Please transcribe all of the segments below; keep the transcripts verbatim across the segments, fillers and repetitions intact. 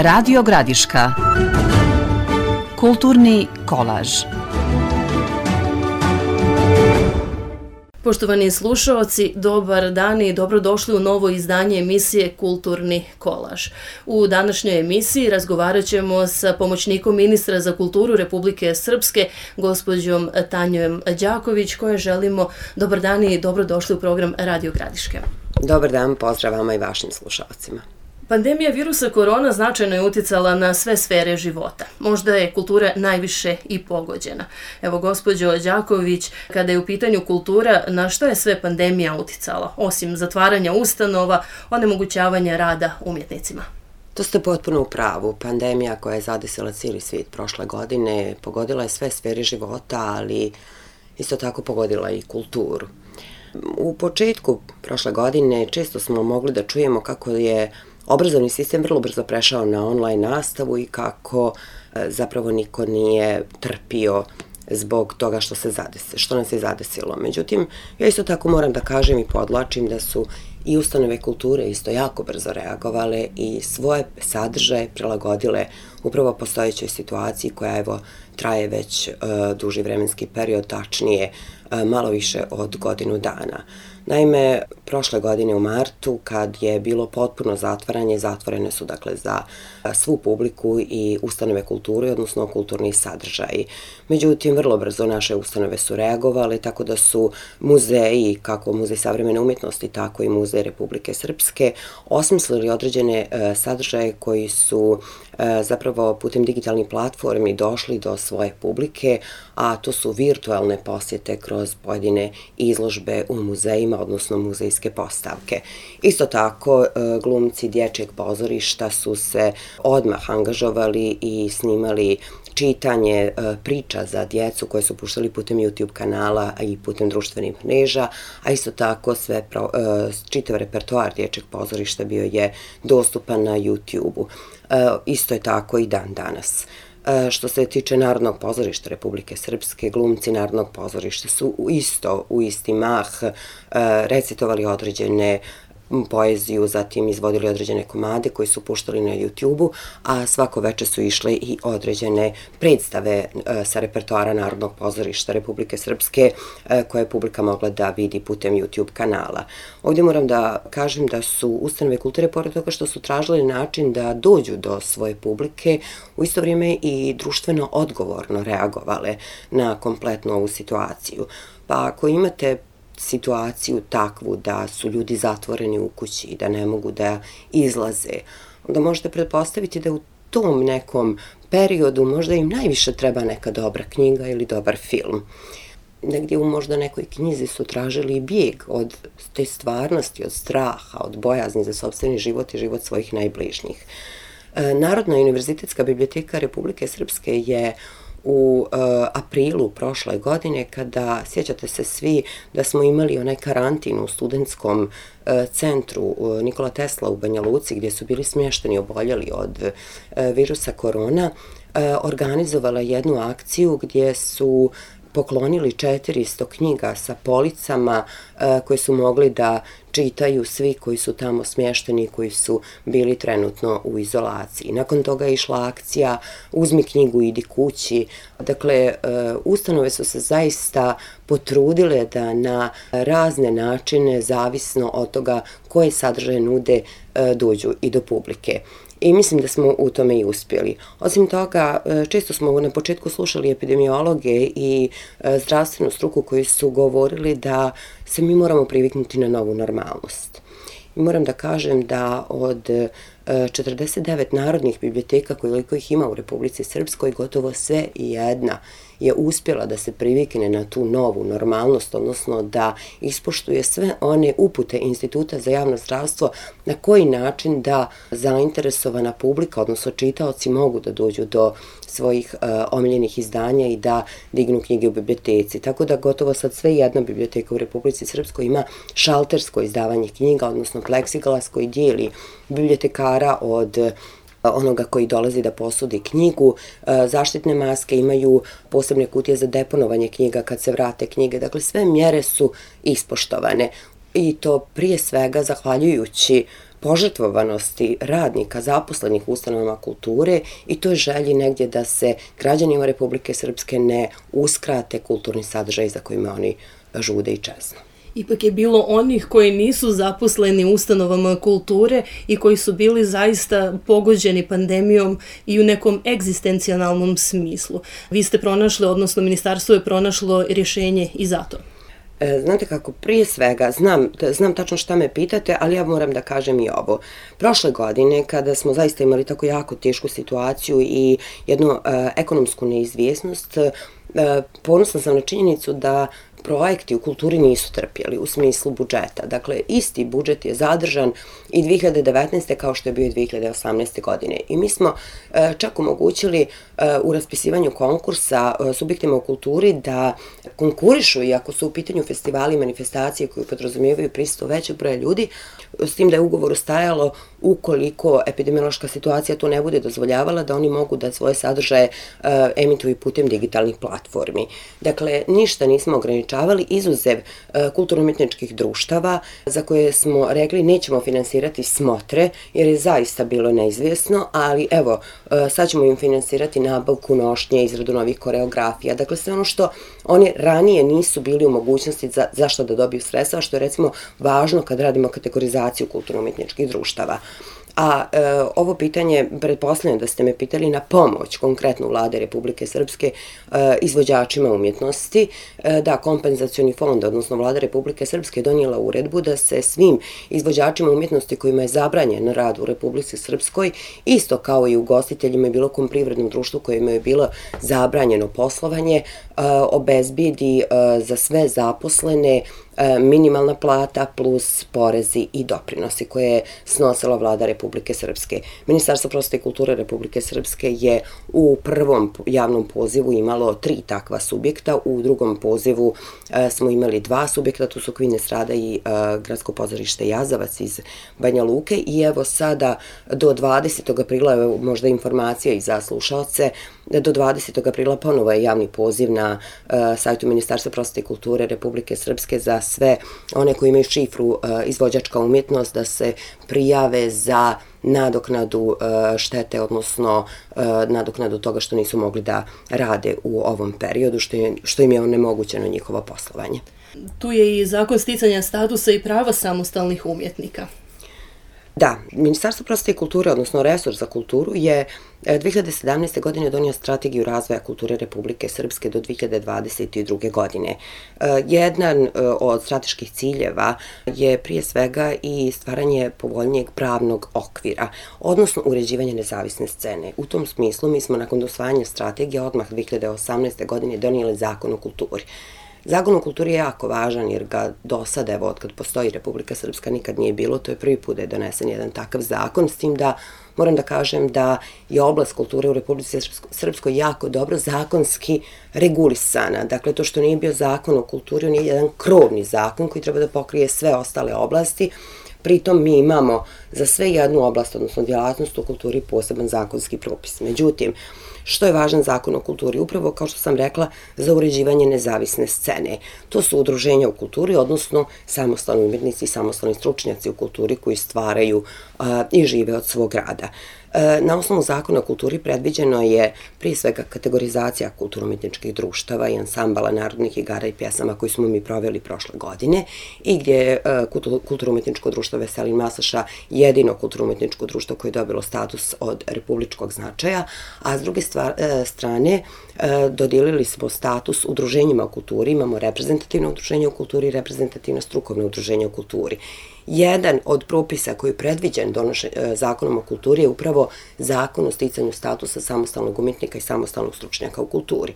Radio Gradiška. Kulturni kolaž. Poštovani slušaoci, dobar dan i dobrodošli u novo izdanje emisije Kulturni kolaž. U današnjoj emisiji razgovarat ćemo sa pomoćnikom ministra za kulturu Republike Srpske, gospođom Tanjom Đaković, koje želimo dobar dan i dobrodošli u program Radio Gradiške. Dobar dan, pozdrav vama i vašim slušalcima. Pandemija virusa korona značajno je uticala na sve sfere života. Možda je kultura najviše i pogođena. Evo, gospođo Đaković, kada je u pitanju kultura, na što je sve pandemija uticala, osim zatvaranja ustanova, onemogućavanja rada umjetnicima? To ste potpuno u pravu. Pandemija koja je zadesila cijeli svijet prošle godine pogodila je sve sfere života, ali isto tako pogodila i kulturu. U početku prošle godine često smo mogli da čujemo kako je obrazovni sistem vrlo brzo prešao na online nastavu i kako e, zapravo niko nije trpio zbog toga što se zadesi, što nas je zadesilo. Međutim, ja isto tako moram da kažem i podlačim da su i ustanove kulture isto jako brzo reagovale i svoje sadržaje prilagodile upravo postojećoj situaciji koja evo traje već e, duži vremenski period, tačnije e, malo više od godinu dana. Naime, prošle godine u martu, kad je bilo potpuno zatvaranje, zatvorene su dakle za svu publiku i ustanove kulture, odnosno kulturni sadržaji. Međutim, vrlo brzo naše ustanove su reagovale, tako da su muzeji, kako Muzej savremene umjetnosti, tako i Muzej Republike Srpske, osmislili određene e, sadržaje koji su e, zapravo putem digitalnih platformi došli do svoje publike, a to su virtualne posjete kroz pojedine izložbe u muzejima, odnosno muzejske postavke. Isto tako, glumci dječjeg pozorišta su se odmah angažovali i snimali čitanje priča za djecu koje su puštali putem YouTube kanala i putem društvenih mreža, a isto tako sve pro, čitav repertoar dječjeg pozorišta bio je dostupan na YouTube-u. Isto je tako i dan danas. Što se tiče Narodnog pozorišta Republike Srpske, glumci Narodnog pozorišta su isto u isti mah recitovali određene poeziju, zatim izvodili određene komade koji su puštali na YouTube-u, a svako veče su išle i određene predstave sa repertoara Narodnog pozorišta Republike Srpske koje je publika mogla da vidi putem YouTube kanala. Ovdje moram da kažem da su ustanove kulture, pored toga što su tražili način da dođu do svoje publike, u isto vrijeme i društveno odgovorno reagovale na kompletnu ovu situaciju. Pa ako imate situaciju takvu da su ljudi zatvoreni u kući i da ne mogu da izlaze, onda možete pretpostaviti da u tom nekom periodu možda im najviše treba neka dobra knjiga ili dobar film. Negdje u možda nekoj knjizi su tražili bijeg od te stvarnosti, od straha, od bojazni za sopstveni život i život svojih najbližnjih. Narodna univerzitetska biblioteka Republike Srpske je u uh, aprilu prošle godine, kada, sjećate se svi da smo imali onaj karantin u studentskom uh, centru uh, Nikola Tesla u Banja Luci, gdje su bili smješteni oboljeli od uh, virusa korona, uh, organizovala jednu akciju gdje su poklonili četiristo knjiga sa policama uh, koje su mogli da čitaju svi koji su tamo smješteni, koji su bili trenutno u izolaciji. Nakon toga je išla akcija Uzmi knjigu, idi kući. Dakle, ustanove su se zaista potrudile da na razne načine, zavisno od toga koje sadržaje nude, dođu i do publike. I mislim da smo u tome i uspjeli. Osim toga, često smo na početku slušali epidemiologe i zdravstvenu struku koji su govorili da se mi moramo priviknuti na novu normalnost. I moram da kažem da od četrdeset devet narodnih biblioteka koliko ih ima u Republici Srpskoj, gotovo sve i jedna je uspjela da se privikne na tu novu normalnost, odnosno da ispoštuje sve one upute Instituta za javno zdravstvo na koji način da zainteresovana publika, odnosno čitaoci, mogu da dođu do svojih uh, omiljenih izdanja i da dignu knjige u biblioteci. Tako da gotovo sad sve jedna biblioteka u Republici Srpskoj ima šaltersko izdavanje knjiga, odnosno pleksiglas koji dijeli bibliotekara od onoga koji dolazi da posudi knjigu. Zaštitne maske imaju posebne kutije za deponovanje knjiga kad se vrate knjige. Dakle, sve mjere su ispoštovane i to prije svega zahvaljujući požrtvovanosti radnika zaposlenih u ustanovama kulture i toj želji negdje da se građanima Republike Srpske ne uskrate kulturni sadržaj za kojima oni žude i čeznu. Ipak je bilo onih koji nisu zaposleni u ustanovama kulture i koji su bili zaista pogođeni pandemijom i u nekom egzistencijalnom smislu. Vi ste pronašli, odnosno ministarstvo je pronašlo rješenje i za to. Znate kako, prije svega, znam, znam tačno šta me pitate, ali ja moram da kažem i ovo. Prošle godine, kada smo zaista imali tako jako tešku situaciju i jednu uh, ekonomsku neizvjesnost, uh, ponosna sam na činjenicu da projekti u kulturi nisu trpjeli u smislu budžeta. Dakle, isti budžet je zadržan i dvije hiljade devetnaeste. kao što je bio i dvije hiljade osamnaeste. godine. I mi smo čak omogućili u raspisivanju konkursa subjektima u kulturi da konkurišu, iako su u pitanju festivali i manifestacije koje podrazumijevaju prisustvo većeg broja ljudi, s tim da je u ugovoru stajalo ukoliko epidemiološka situacija to ne bude dozvoljavala, da oni mogu da svoje sadržaje emituju putem digitalnih platformi. Dakle, ništa nismo ograničavali, izuzev kulturno-umjetničkih društava za koje smo rekli nećemo finansirati smotre, jer je zaista bilo neizvjesno, ali evo, sad ćemo im finansirati nabavku nošnje, izradu novih koreografija. Dakle, sve ono što oni ranije nisu bili u mogućnosti za, zašto da dobiju sredstva, što je recimo važno kad radimo kategorizaciju kulturno-umjetničkih društava. A e, ovo pitanje, pretpostavljam da ste me pitali na pomoć konkretno Vlade Republike Srpske e, izvođačima umjetnosti, e, da kompenzacioni fond, odnosno Vlada Republike Srpske donijela uredbu da se svim izvođačima umjetnosti kojima je zabranjen rad u Republici Srpskoj, isto kao i ugostiteljima i bilo kom privrednom društvu kojima je bilo zabranjeno poslovanje, e, obezbijedi e, za sve zaposlene minimalna plata plus porezi i doprinosi koje je snosila Vlada Republike Srpske. Ministarstvo prosvete i kulture Republike Srpske je u prvom javnom pozivu imalo tri takva subjekta, u drugom pozivu smo imali dva subjekta, tu su Kvines Rada i Gradsko pozorište Jazavac iz Banja Luke i evo sada do dvadesetog aprila, evo možda informacija i za slušalce, do dvadesetog aprila ponovo je javni poziv na sajtu Ministarstva prosvete i kulture Republike Srpske za sve one koji imaju šifru izvođačka umjetnost da se prijave za nadoknadu štete, odnosno nadoknadu toga što nisu mogli da rade u ovom periodu, što, je, što im je onemogućeno njihovo poslovanje. Tu je i zakon sticanja statusa i prava samostalnih umjetnika. Da, Ministarstvo prosvete i kulture, odnosno resor za kulturu, je dvije hiljade sedamnaeste. godine donio strategiju razvoja kulture Republike Srpske do dvije hiljade dvadeset druge. godine. Jedan od strateških ciljeva je prije svega i stvaranje povoljnijeg pravnog okvira, odnosno uređivanje nezavisne scene. U tom smislu mi smo nakon usvajanja strategije odmah dvije hiljade osamnaeste. godine donijeli zakon o kulturi. Zakon o kulturi je jako važan jer ga do sada, evo, od kad postoji Republika Srpska, nikad nije bilo, to je prvi put da je donesen jedan takav zakon, s tim da moram da kažem da je oblast kulture u Republici Srpskoj jako dobro zakonski regulisana. Dakle, to što nije bio zakon o kulturi, on je jedan krovni zakon koji treba da pokrije sve ostale oblasti. Pritom mi imamo za sve jednu oblast, odnosno djelatnost u kulturi, poseban zakonski propis. Međutim, što je važan zakon o kulturi? Upravo, kao što sam rekla, za uređivanje nezavisne scene. To su udruženja u kulturi, odnosno samostalni umjetnici i samostalni stručnjaci u kulturi koji stvaraju a, i žive od svog rada. Na osnovu zakona o kulturi predviđeno je prije svega kategorizacija kulturno-umjetničkih društava i ansambala narodnih igara i pjesama koji smo mi proveli prošle godine i gdje je kulturno-umjetničko društvo Veselin Maslaša jedino kulturno-umjetničko društvo koje je dobilo status od republičkog značaja, a s druge stvar, strane dodijelili smo status udruženjima u kulturi, imamo reprezentativno udruženje u kulturi i reprezentativno strukovno udruženje u kulturi. Jedan od propisa koji je predviđen donošen, zakonom o kulturi je upravo zakon o sticanju statusa samostalnog umjetnika i samostalnog stručnjaka u kulturi.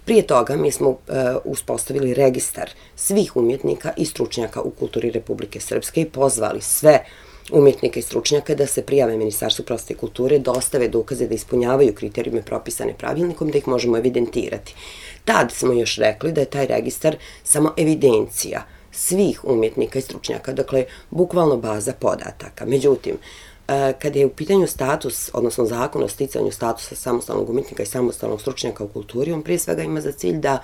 Prije toga mi smo uh, uspostavili registar svih umjetnika i stručnjaka u kulturi Republike Srpske i pozvali sve umjetnike i stručnjaka da se prijave Ministarstvu prosvete i kulture, dostave dokaze da ispunjavaju kriterijume propisane pravilnikom, da ih možemo evidentirati. Tad smo još rekli da je taj registar samo evidencija svih umjetnika i stručnjaka, dakle, bukvalno baza podataka. Međutim, kada je u pitanju status, odnosno zakon o sticanju statusa samostalnog umjetnika i samostalnog stručnjaka u kulturi, on prije svega ima za cilj da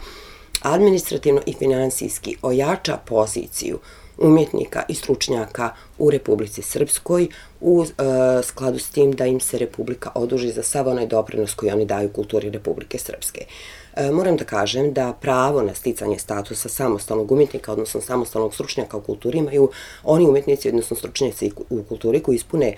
administrativno i finansijski ojača poziciju umjetnika i stručnjaka u Republici Srpskoj u e, skladu s tim da im se Republika oduži za sav onaj doprinos koji oni daju kulturi Republike Srpske. E, moram da kažem da pravo na sticanje statusa samostalnog umjetnika, odnosno samostalnog stručnjaka u kulturi, imaju oni umjetnici, odnosno stručnjaci u kulturi koji ispune e,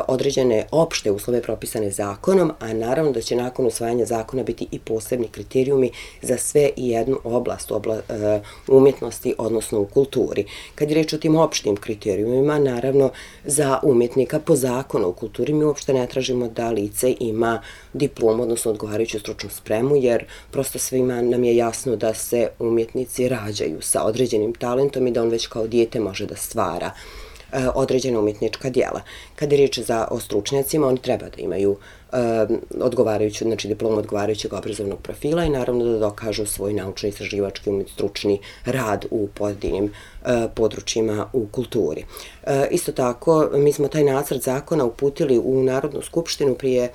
određene opšte uslove propisane zakonom, a naravno da će nakon usvajanja zakona biti i posebni kriterijumi za sve i jednu oblast obla, e, umjetnosti, odnosno u kulturi. Kad je reč o tim opštim kriterijumima, naravno za umjetnika po zakonu u kulturi mi uopšte ne tražimo da lice ima diplomu, odnosno odgovarajuću stručnu spremu, jer prosto svima nam je jasno da se umjetnici rađaju sa određenim talentom i da on već kao dijete može da stvara e, određena umjetnička djela. Kad je riječ za, o stručnjacima, oni treba da imaju e, odgovarajuću, znači diplomu odgovarajućeg obrazovnog profila i naravno da dokažu svoj naučni, istraživački, stručni rad u pojedinim e, područjima u kulturi. E, isto tako, mi smo taj nacrt zakona uputili u Narodnu skupštinu prije e,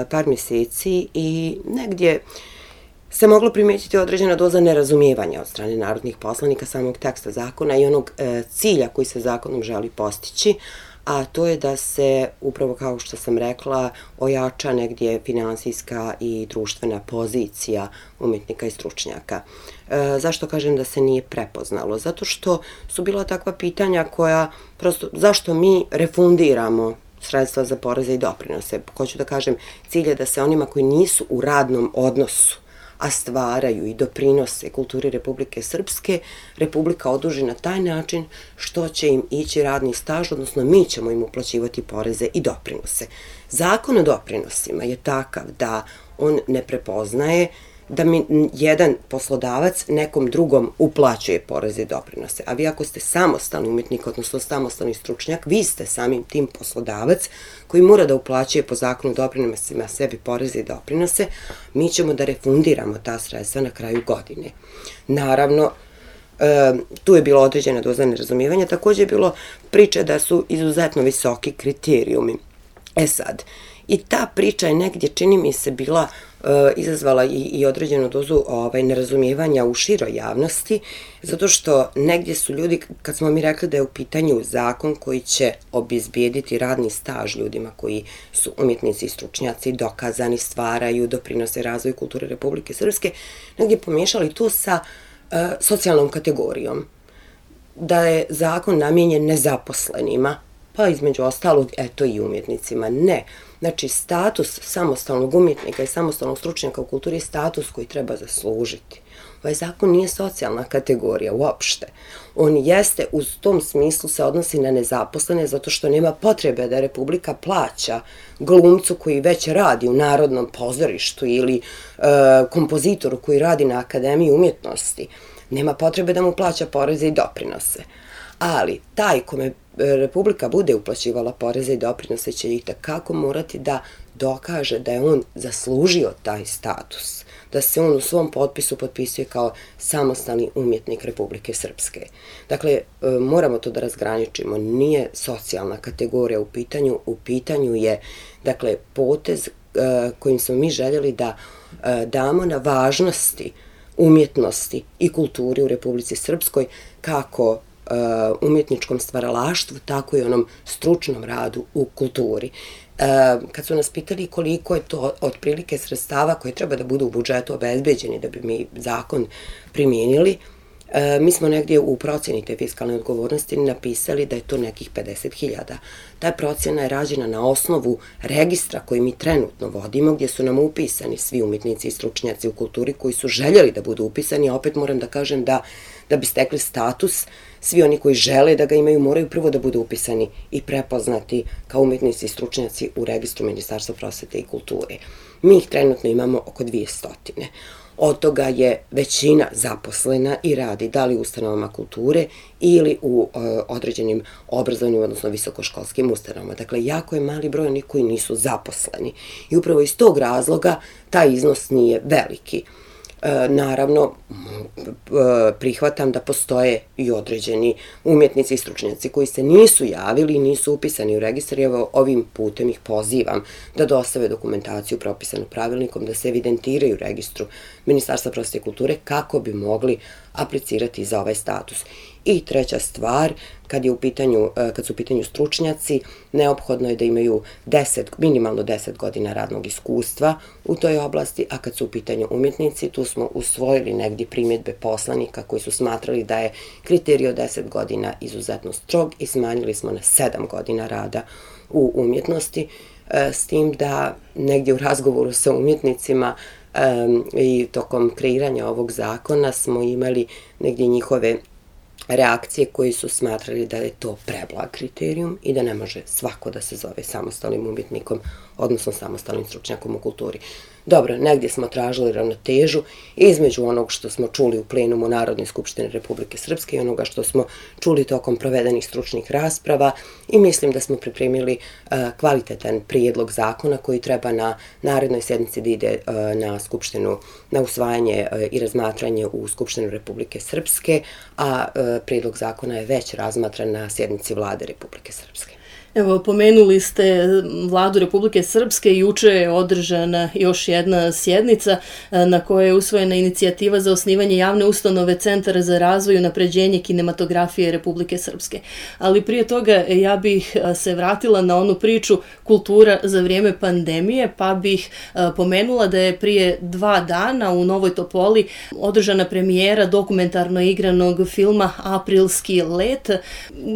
par mjeseci i negdje se moglo primijetiti određena doza nerazumijevanja od strane narodnih poslanika samog teksta zakona i onog e, cilja koji se zakonom želi postići, a to je da se, upravo kao što sam rekla, ojača negdje finansijska i društvena pozicija umjetnika i stručnjaka. E, zašto kažem da se nije prepoznalo? Zato što su bila takva pitanja koja, prosto, zašto mi refundiramo sredstva za poreze i doprinose? Hoću da kažem, cilj je da se onima koji nisu u radnom odnosu, a stvaraju i doprinose kulturi Republike Srpske, Republika oduži na taj način što će im ići radni staž, odnosno mi ćemo im uplaćivati poreze i doprinose. Zakon o doprinosima je takav da on ne prepoznaje da mi jedan poslodavac nekom drugom uplaćuje poreze i doprinose. A vi ako ste samostalni umjetnik, odnosno samostalni stručnjak, vi ste samim tim poslodavac koji mora da uplaćuje po zakonu doprinosima sebi poreze i doprinose, mi ćemo da refundiramo ta sredstva na kraju godine. Naravno, e, tu je bilo određena doza nerazumijevanja, također je bilo priče da su izuzetno visoki kriterijumi. E sad, i ta priča je negdje, čini mi se, bila e, izazvala i, i određenu dozu ovaj, nerazumijevanja u široj javnosti, zato što negdje su ljudi, kad smo mi rekli da je u pitanju zakon koji će obezbijediti radni staž ljudima koji su umjetnici i stručnjaci, dokazani, stvaraju, doprinose razvoju kulture Republike Srpske, negdje pomiješali to sa e, socijalnom kategorijom. Da je zakon namijenjen nezaposlenima, pa između ostalog, eto i umjetnicima. Ne. Znači, status samostalnog umjetnika i samostalnog stručnjaka u kulturi je status koji treba zaslužiti. Ovaj zakon nije socijalna kategorija uopšte. On jeste, u tom smislu se odnosi na nezaposlene, zato što nema potrebe da Republika plaća glumcu koji već radi u Narodnom pozorištu ili e, kompozitoru koji radi na Akademiji umjetnosti. Nema potrebe da mu plaća poreze i doprinose. Ali taj kome Republika bude uplaćivala poreze i doprinose će ih takako morati da dokaže da je on zaslužio taj status, da se on u svom potpisu potpisuje kao samostalni umjetnik Republike Srpske. Dakle, moramo to da razgraničimo, nije socijalna kategorija u pitanju, u pitanju je, dakle, potez kojim smo mi željeli da damo na važnosti umjetnosti i kulturi u Republici Srpskoj, kako umjetničkom stvaralaštvu, tako i onom stručnom radu u kulturi. Kad su nas pitali koliko je to otprilike sredstava koje treba da budu u budžetu obezbeđeni da bi mi zakon primijenili, mi smo negdje u procjeni te fiskalne odgovornosti napisali da je to nekih pedeset hiljada. Ta procjena je rađena na osnovu registra koji mi trenutno vodimo, gdje su nam upisani svi umjetnici i stručnjaci u kulturi koji su željeli da budu upisani, a opet moram da kažem da da bi stekli status, svi oni koji žele da ga imaju moraju prvo da budu upisani i prepoznati kao umjetnici i stručnjaci u registru Ministarstva prosvete i kulture. Mi ih trenutno imamo oko dvjesto. Od toga je većina zaposlena i radi da li u ustanovama kulture ili u e, određenim obrazovnim, odnosno visokoškolskim ustanovama. Dakle, jako je mali broj onih koji nisu zaposleni. I upravo iz tog razloga taj iznos nije veliki. E, naravno, prihvatam da postoje i određeni umjetnici i stručnjaci koji se nisu javili i nisu upisani u registar i evo ovim putem ih pozivam da dostave dokumentaciju propisanu pravilnikom, da se evidentiraju u registru Ministarstva prosvete i kulture kako bi mogli aplicirati za ovaj status. I treća stvar, kad, je u pitanju, kad su u pitanju stručnjaci, neophodno je da imaju deset, minimalno deset godina radnog iskustva u toj oblasti, a kad su u pitanju umjetnici, tu smo usvojili negdje primjedbe poslanika koji su smatrali da je kriterij od deset godina izuzetno strog i smanjili smo na sedam godina rada u umjetnosti, s tim da negdje u razgovoru sa umjetnicima um, i tokom kreiranja ovog zakona smo imali negdje njihove reakcije koji su smatrali da je to preblag kriterijum i da ne može svako da se zove samostalnim umjetnikom, odnosno samostalnim stručnjakom u kulturi. Dobro, negdje smo tražili ravnotežu između onog što smo čuli u plenumu Narodne skupštine Republike Srpske i onoga što smo čuli tokom provedenih stručnih rasprava i mislim da smo pripremili uh, kvalitetan prijedlog zakona koji treba na narednoj sjednici da ide uh, na skupštinu, na usvajanje uh, i razmatranje u Skupštinu Republike Srpske, a uh, prijedlog zakona je već razmatran na sjednici Vlade Republike Srpske. Evo, pomenuli ste Vladu Republike Srpske i juče je održana još jedna sjednica na kojoj je usvojena inicijativa za osnivanje javne ustanove Centara za razvoj i unapređenje kinematografije Republike Srpske. Ali prije toga ja bih se vratila na onu priču kultura za vrijeme pandemije, pa bih pomenula da je prije dva dana u Novoj Topoli održana premijera dokumentarno igranog filma Aprilski let.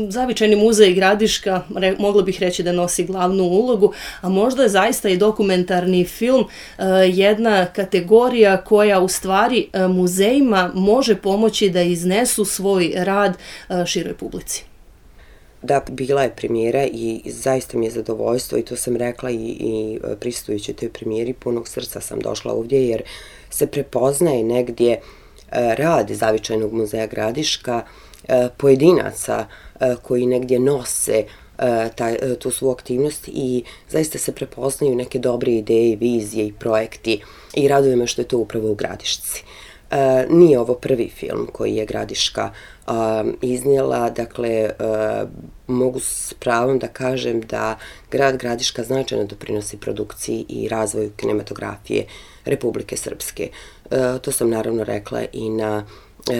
Zavičajni muzej Gradiška mogla bih reći da nosi glavnu ulogu, a možda je zaista i dokumentarni film uh, jedna kategorija koja u stvari uh, muzejima može pomoći da iznesu svoj rad uh, široj publici. Da, bila je premijera i zaista mi je zadovoljstvo i to sam rekla i, i prisustujući toj premijeri, punog srca sam došla ovdje jer se prepoznaje negdje uh, rad Zavičajnog muzeja Gradiška, uh, pojedinaca uh, koji negdje nose Taj, tu svu aktivnost i zaista se prepoznaju neke dobre ideje, vizije i projekti i raduje me što je to upravo u Gradišci. E, nije ovo prvi film koji je Gradiška a, iznijela, dakle a, mogu s pravom da kažem da grad Gradiška značajno doprinosi produkciji i razvoju kinematografije Republike Srpske. E, to sam naravno rekla i na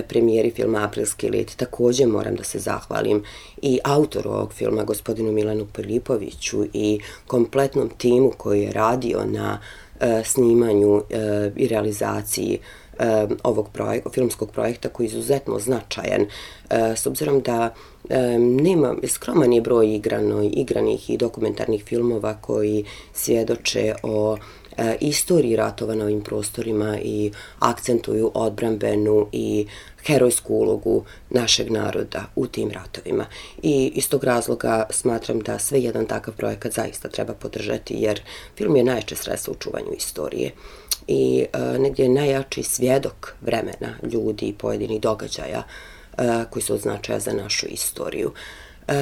premijeri filma Aprilski let. Također moram da se zahvalim i autoru ovog filma, gospodinu Milanu Pilipoviću i kompletnom timu koji je radio na uh, snimanju uh, i realizaciji uh, ovog projek- filmskog projekta koji je izuzetno značajan. Uh, s obzirom da um, nema, skroman je broj igrano, igranih i dokumentarnih filmova koji svjedoče o E, istoriji ratova na ovim prostorima i akcentuju odbrambenu i herojsku ulogu našeg naroda u tim ratovima. I iz tog razloga smatram da sve jedan takav projekat zaista treba podržati jer film je najjače sredstvo u čuvanju istorije i e, negdje je najjači svjedok vremena ljudi i pojedinih događaja e, koji su od značaja za našu istoriju. E,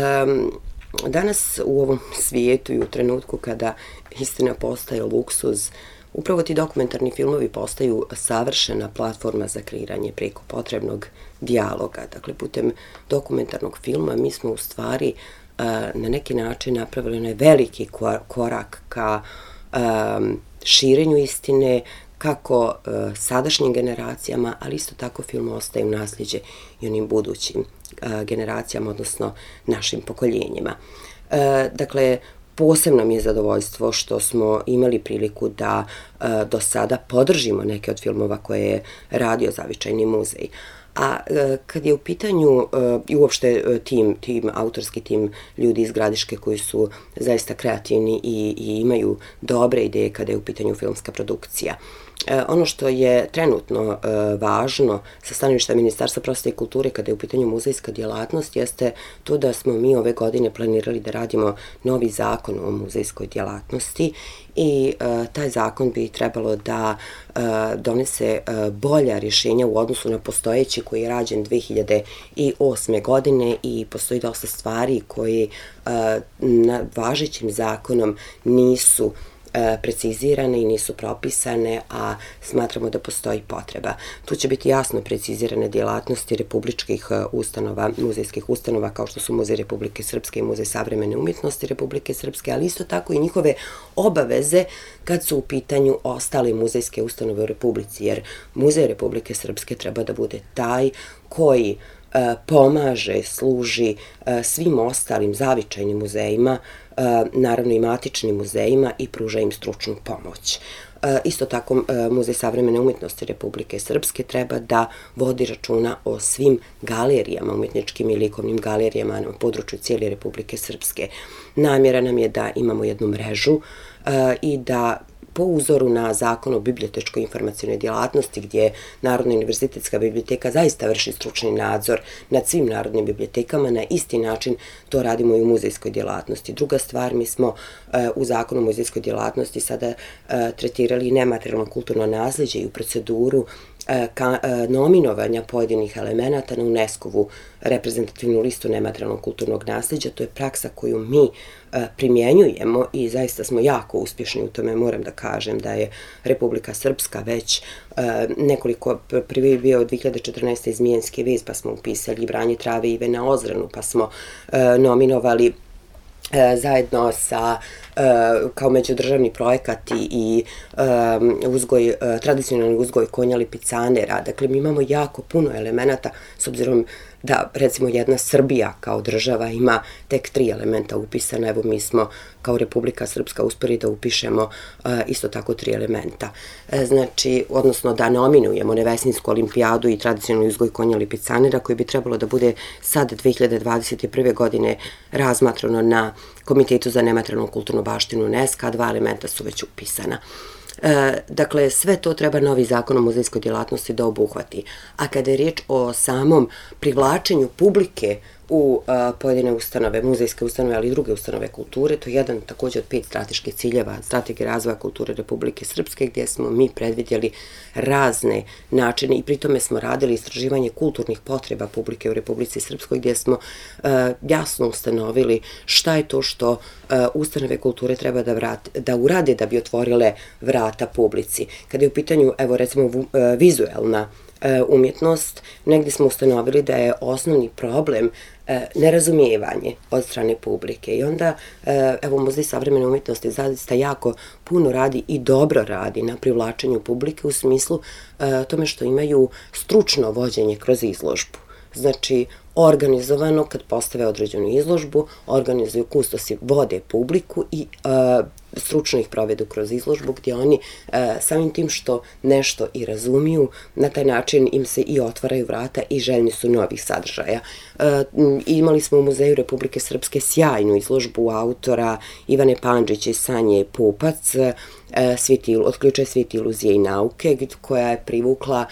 Danas u ovom svijetu i u trenutku kada istina postaje luksuz, upravo ti dokumentarni filmovi postaju savršena platforma za kreiranje preko potrebnog dijaloga. Dakle, putem dokumentarnog filma mi smo u stvari uh, na neki način napravili onaj veliki korak ka um, širenju istine, kako uh, sadašnjim generacijama, ali isto tako film ostaje u nasljeđe i onim budućim uh, generacijama, odnosno našim pokoljenjima. Uh, dakle, posebno mi je zadovoljstvo što smo imali priliku da uh, do sada podržimo neke od filmova koje je radio Zavičajni muzej. A uh, kad je u pitanju uh, i uopšte uh, tim, tim, autorski tim ljudi iz Gradiške koji su zaista kreativni i, i imaju dobre ideje kada je u pitanju filmska produkcija. E, ono što je trenutno e, važno sa stanovišta Ministarstva prosvete i kulture kada je u pitanju muzejska djelatnost jeste to da smo mi ove godine planirali da radimo novi zakon o muzejskoj djelatnosti i e, taj zakon bi trebalo da e, donese e, bolja rješenja u odnosu na postojeći koji je rađen dve hiljade osme godine i postoji dosta stvari koje e, na važećim zakonom nisu precizirane i nisu propisane, a smatramo da postoji potreba. Tu će biti jasno precizirane djelatnosti republičkih ustanova, muzejskih ustanova kao što su Muzej Republike Srpske i Muzej savremene umjetnosti Republike Srpske, ali isto tako i njihove obaveze kad su u pitanju ostale muzejske ustanove u Republici, jer Muzej Republike Srpske treba da bude taj koji pomaže, služi svim ostalim zavičajnim muzejima, naravno i matičnim muzejima i pruža im stručnu pomoć. Isto tako, Muzej savremene umjetnosti Republike Srpske treba da vodi računa o svim galerijama, umjetničkim i likovnim galerijama na području cijele Republike Srpske. Namjera nam je da imamo jednu mrežu i da po uzoru na Zakon o bibliotečkoj informacionoj djelatnosti, gdje Narodna univerzitetska biblioteka zaista vrši stručni nadzor nad svim narodnim bibliotekama, na isti način to radimo i u muzejskoj djelatnosti. Druga stvar, mi smo u Zakonu o muzejskoj djelatnosti sada tretirali nematerijalno kulturno naslijeđe i u proceduru nominovanja pojedinih elemenata na UNESCO-vu reprezentativnu listu nematerijalnog kulturnog nasljeđa. To je praksa koju mi primjenjujemo i zaista smo jako uspješni u tome. Moram da kažem da je Republika Srpska već nekoliko, prvi je bio dvije hiljade četrnaeste. Zmijenski vez, pa smo upisali Branje trave i Ivena Ozranu, pa smo nominovali zajedno sa kao međudržavni projekat i uzgoj, tradicionalni uzgoj konja lipicanera. Dakle, mi imamo jako puno elemenata, s obzirom da, recimo, jedna Srbija kao država ima tek tri elementa upisana. Evo, mi smo kao Republika Srpska uspjeli da upišemo isto tako tri elementa. Znači, odnosno da nominujemo Nevesinsku olimpijadu i tradicionalni uzgoj konja lipicanera, koji bi trebalo da bude sad dvije hiljade dvadeset prve. godine razmatrano na Komitetu za nematerijalnu kulturnu baštinu UNESCO, a dva elementa su već upisana. Dakle, sve to treba novi Zakon o muzejskoj djelatnosti da obuhvati. A kada je riječ o samom privlačenju publike u pojedine ustanove, muzejske ustanove, ali i druge ustanove kulture, to je jedan također od pet strateških ciljeva Strategije razvoja kulture Republike Srpske, gdje smo mi predvidjeli razne načine i pritome smo radili istraživanje kulturnih potreba publike u Republici Srpskoj, gdje smo jasno ustanovili šta je to što ustanove kulture treba da, vrat, da urade da bi otvorile vrata publici. Kada je u pitanju, evo recimo, vizuelna umjetnost, negdje smo ustanovili da je osnovni problem nerazumijevanje od strane publike. I onda, evo, Muzej savremene umjetnosti zaista jako puno radi i dobro radi na privlačenju publike u smislu tome što imaju stručno vođenje kroz izložbu. Znači, organizovano, kad postave određenu izložbu, organizuju kustosi, vode publiku i uh, stručno ih provedu kroz izložbu, gdje oni uh, samim tim što nešto i razumiju, na taj način im se i otvaraju vrata i željni su novih sadržaja. Uh, imali smo u Muzeju Republike Srpske sjajnu izložbu autora Ivane Pandžić i Sanje Pupac, Otključaj svijete iluzije i nauke, koja je privukla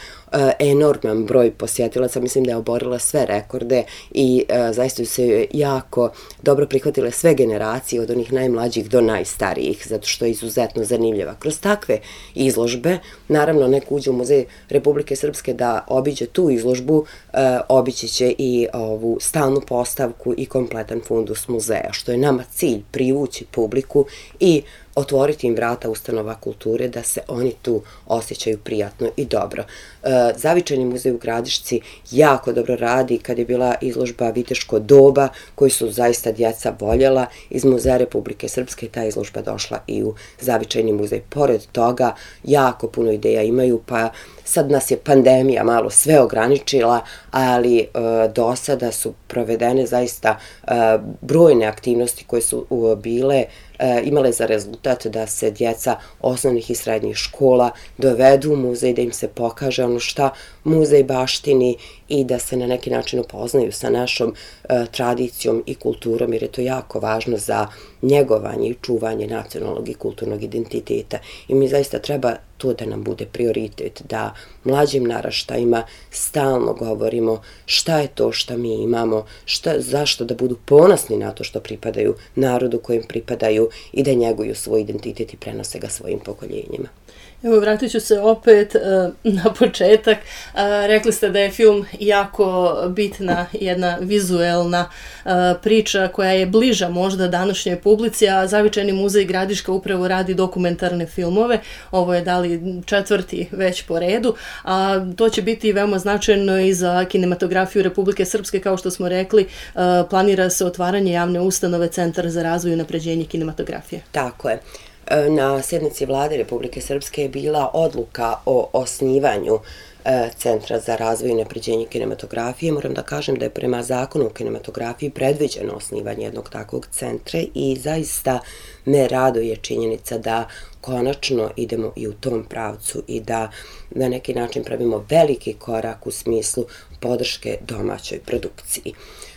enorman broj posjetilaca. Mislim da je oborila sve rekorde i zaista su se jako dobro prihvatile sve generacije, od onih najmlađih do najstarijih, zato što je izuzetno zanimljiva. Kroz takve izložbe, naravno, neko uđe u Muzej Republike Srpske da obiđe tu izložbu, obići će i ovu stalnu postavku i kompletan fundus muzeja, što je nama cilj, privući publiku i otvoriti im vrata ustanova kulture da se oni tu osjećaju prijatno i dobro. Zavičajni muzej u Gradišci jako dobro radi. Kad je bila izložba Viteško doba, koju su zaista djeca voljela, iz Muzeja Republike Srpske ta izložba došla i u Zavičajni muzej. Pored toga, jako puno ideja imaju, pa sad nas je pandemija malo sve ograničila, ali e, do sada su provedene zaista e, brojne aktivnosti koje su e, bile e, imale za rezultat da se djeca osnovnih i srednjih škola dovedu u muzej, da im se pokaže ono šta muzej baštini i da se na neki način upoznaju sa našom e, tradicijom i kulturom, jer je to jako važno za njegovanje i čuvanje nacionalnog i kulturnog identiteta. I mi zaista treba to da nam bude prioritet, da mlađim naraštajima stalno govorimo šta je to što mi imamo, šta, zašto da budu ponosni na to što pripadaju narodu kojem pripadaju i da njeguju svoj identitet i prenose ga svojim pokoljenjima. Evo, vratit ću se opet uh, na početak. Uh, rekli ste da je film jako bitna jedna vizuelna uh, priča koja je bliža možda današnjoj publici, a Zavičajni muzej Gradiška upravo radi dokumentarne filmove. Ovo je dali četvrti već po redu, a to će biti veoma značajno i za kinematografiju Republike Srpske. Kao što smo rekli, uh, planira se otvaranje javne ustanove Centar za razvoj i unapređenje kinematografije. Tako je. Na sjednici Vlade Republike Srpske je bila odluka o osnivanju Centra za razvoj i unapređenje kinematografije. Moram da kažem da je prema zakonu o kinematografiji predviđeno osnivanje jednog takvog centra i zaista me raduje činjenica da konačno idemo i u tom pravcu i da na neki način pravimo veliki korak u smislu podrške domaćoj produkciji.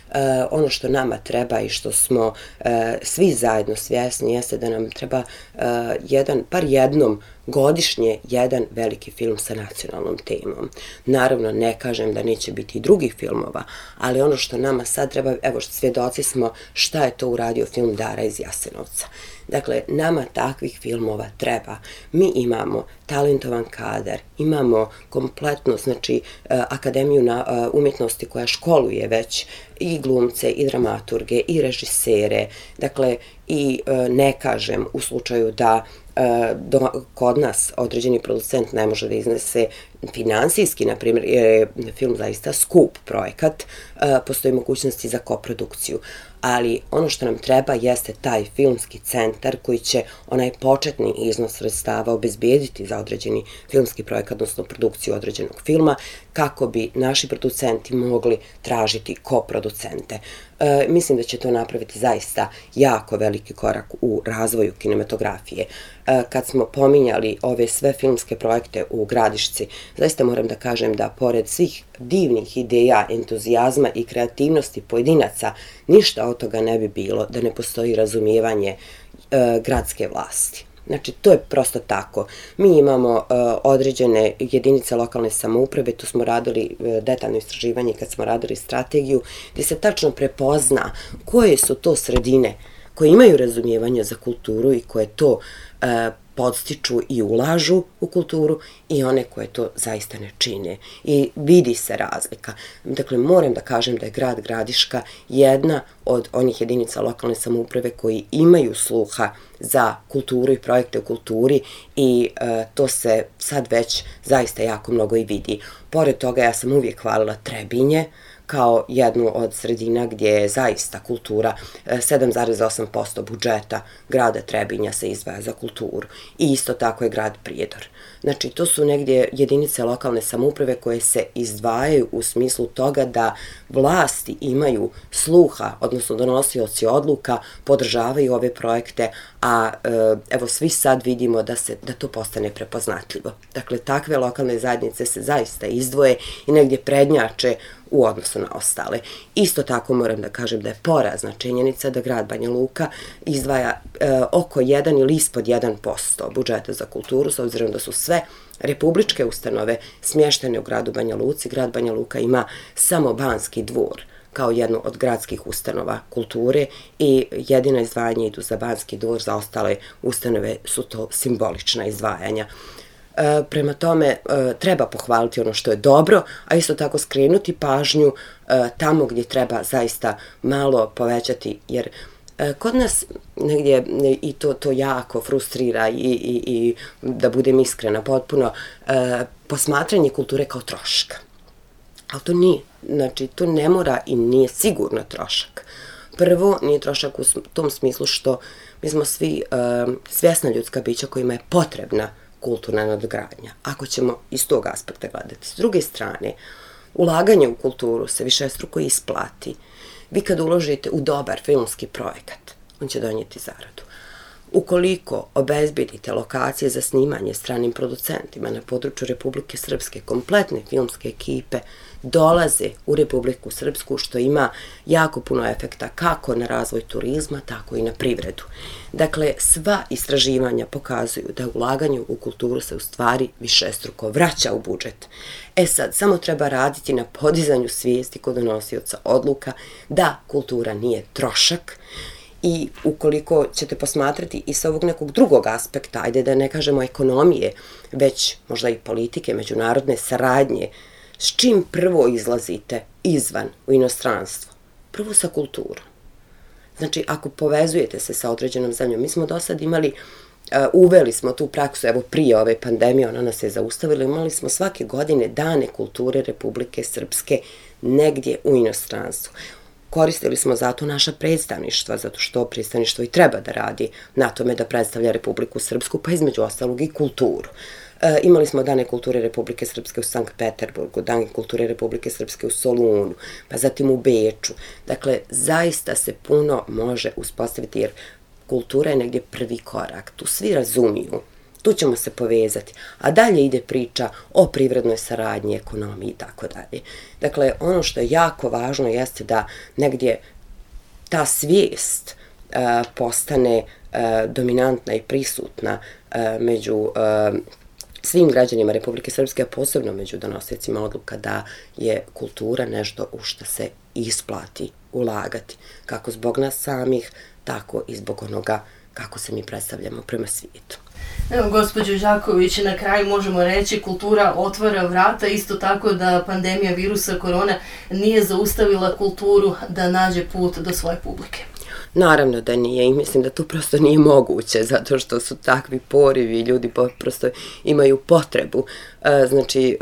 Uh, ono što nama treba i što smo uh, svi zajedno svjesni jeste da nam treba uh, jedan, par jednom godišnje jedan veliki film sa nacionalnom temom. Naravno, ne kažem da neće biti i drugih filmova, ali ono što nama sad treba, evo svjedoci smo šta je to uradio film Dara iz Jasenovca. Dakle, nama takvih filmova treba. Mi imamo talentovan kadar, imamo kompletno, znači, Akademiju na umjetnosti koja školuje već i glumce, i dramaturge, i režisere. Dakle, i ne kažem u slučaju da Do, kod nas određeni producent ne može da iznese finansijski, na primjer, jer je film zaista skup projekat, postoji mogućnosti za koprodukciju. Ali ono što nam treba jeste taj filmski centar koji će onaj početni iznos sredstava obezbijediti za određeni filmski projekat, odnosno produkciju određenog filma, kako bi naši producenti mogli tražiti koproducente. E, mislim da će to napraviti zaista jako veliki korak u razvoju kinematografije. E, kad smo pominjali ove sve filmske projekte u Gradišci, zaista moram da kažem da pored svih divnih ideja, entuzijazma i kreativnosti pojedinaca, ništa od toga ne bi bilo da ne postoji razumijevanje e, gradske vlasti. Znači, to je prosto tako. Mi imamo uh, određene jedinice lokalne samouprave, tu smo radili uh, detaljno istraživanje kad smo radili strategiju, gdje se tačno prepozna koje su to sredine koje imaju razumijevanje za kulturu i koje to uh, podstiču i ulažu u kulturu i one koje to zaista ne čine. I vidi se razlika. Dakle, moram da kažem da je grad Gradiška jedna od onih jedinica lokalne samouprave koji imaju sluha za kulturu i projekte u kulturi i e, to se sad već zaista jako mnogo i vidi. Pored toga, ja sam uvijek hvalila Trebinje kao jednu od sredina gdje je zaista kultura, sedam zarez osam posto budžeta grada Trebinja se izdvaja za kulturu. I isto tako je grad Prijedor. Znači, to su negdje jedinice lokalne samouprave koje se izdvajaju u smislu toga da vlasti imaju sluha, odnosno donosioci odluka, podržavaju ove projekte, a evo svi sad vidimo da, se, da to postane prepoznatljivo. Dakle, takve lokalne zajednice se zaista izdvoje i negdje prednjače u odnosu na ostale. Isto tako moram da kažem da je porazna činjenica da grad Banja Luka izdvaja e, oko jedan ili ispod jedan posto budžeta za kulturu, s obzirom da su sve republičke ustanove smještene u gradu Banja Luci. Grad Banja Luka ima samo Banski dvor kao jednu od gradskih ustanova kulture i jedina izdvajanja idu za Banski dvor, za ostale ustanove su to simbolična izdvajanja. E, prema tome, e, treba pohvaliti ono što je dobro, a isto tako skrenuti pažnju e, tamo gdje treba zaista malo povećati, jer e, kod nas negdje i to, to jako frustrira i, i, i da budem iskrena potpuno, e, posmatranje kulture kao troška. Ali to nije. Znači, to ne mora i nije sigurno trošak. Prvo, nije trošak u tom smislu što mi smo svi e, svjesna ljudska bića kojima je potrebna kulturna nadogradnja, ako ćemo iz tog aspekta gledati. S druge strane, ulaganje u kulturu se višestruko isplati. Vi kad uložite u dobar filmski projekat, on će donijeti zaradu. Ukoliko obezbedite lokacije za snimanje stranim producentima na području Republike Srpske, kompletne filmske ekipe dolaze u Republiku Srpsku, što ima jako puno efekta kako na razvoj turizma, tako i na privredu. Dakle, sva istraživanja pokazuju da ulaganje u kulturu se u stvari višestruko vraća u budžet. E sad, samo treba raditi na podizanju svijesti kod donosioca odluka da kultura nije trošak. I ukoliko ćete posmatrati i sa ovog nekog drugog aspekta, ajde da ne kažemo ekonomije, već možda i politike, međunarodne saradnje, s čim prvo izlazite izvan u inostranstvo? Prvo sa kulturom. Znači, ako povezujete se sa određenom zemljom, mi smo do sad imali, uh, uveli smo tu praksu, evo prije ove pandemije, ona nas je zaustavila, imali smo svake godine dane kulture Republike Srpske negdje u inostranstvu. koristili smo zato naša predstavništva, zato što predstavništvo i treba da radi na tome da predstavlja Republiku Srpsku, pa između ostalog i kulturu. E, imali smo Dane kulture Republike Srpske u Sankt Peterburgu, Dane kulture Republike Srpske u Solunu, pa zatim u Beču. Dakle, zaista se puno može uspostaviti jer kultura je negdje prvi korak. Tu svi razumiju, tu ćemo se povezati, a dalje ide priča o privrednoj saradnji, ekonomiji i tako dalje. Dakle, ono što je jako važno jeste da negdje ta svijest uh, postane uh, dominantna i prisutna uh, među uh, svim građanima Republike Srpske, a posebno među donosiocima odluka da je kultura nešto u što se isplati ulagati, kako zbog nas samih, tako i zbog onoga kako se mi predstavljamo prema svijetu. Evo, gospođo Đaković, na kraju možemo reći kultura otvara vrata, isto tako da pandemija virusa korona nije zaustavila kulturu da nađe put do svoje publike. Naravno da nije i mislim da to prosto nije moguće zato što su takvi porivi, ljudi prosto imaju potrebu. Znači,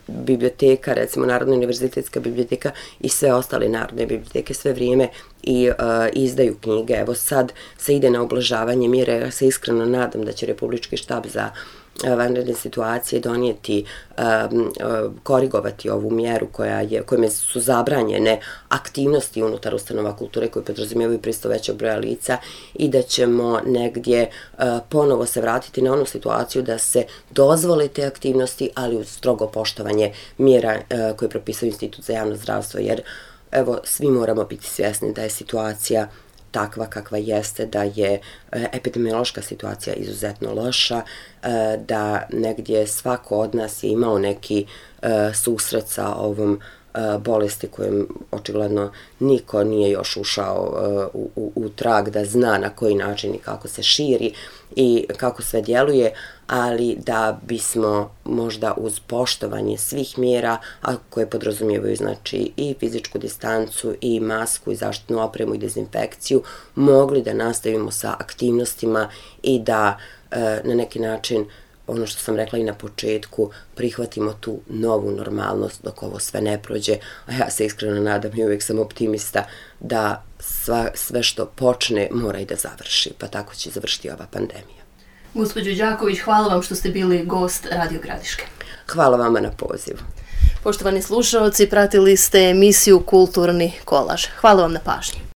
biblioteka, recimo Narodna univerzitetska biblioteka i sve ostale narodne biblioteke sve vrijeme i izdaju knjige. Evo sad se ide na ublažavanje mjere, ja se iskreno nadam da će Republički štab za vanredne situacije donijeti, um, korigovati ovu mjeru koja je, kojima su zabranjene aktivnosti unutar ustanova kulture koje podrazumijevaju prisustvo većeg broja lica i da ćemo negdje uh, ponovo se vratiti na onu situaciju da se dozvole te aktivnosti, ali uz strogo poštovanje mjera uh, koje propisuje Institut za javno zdravstvo, jer evo, svi moramo biti svjesni da je situacija takva kakva jeste, da je epidemiološka situacija izuzetno loša, da negdje svako od nas je imao neki susret sa ovom bolesti kojom očigledno niko nije još ušao u, u, u trag da zna na koji način i kako se širi i kako sve djeluje, ali da bismo možda uz poštovanje svih mjera, a koje podrazumijevaju znači i fizičku distancu i masku i zaštitnu opremu i dezinfekciju, mogli da nastavimo sa aktivnostima i da e, na neki način, ono što sam rekla i na početku, prihvatimo tu novu normalnost dok ovo sve ne prođe, a ja se iskreno nadam i uvijek sam optimista da sva, sve što počne mora i da završi, pa tako će završiti ova pandemija. Gospođo Đaković, hvala vam što ste bili gost Radio Gradiške. Hvala vama na pozivu. Poštovani slušalci, pratili ste emisiju Kulturni kolaž. Hvala vam na pažnji.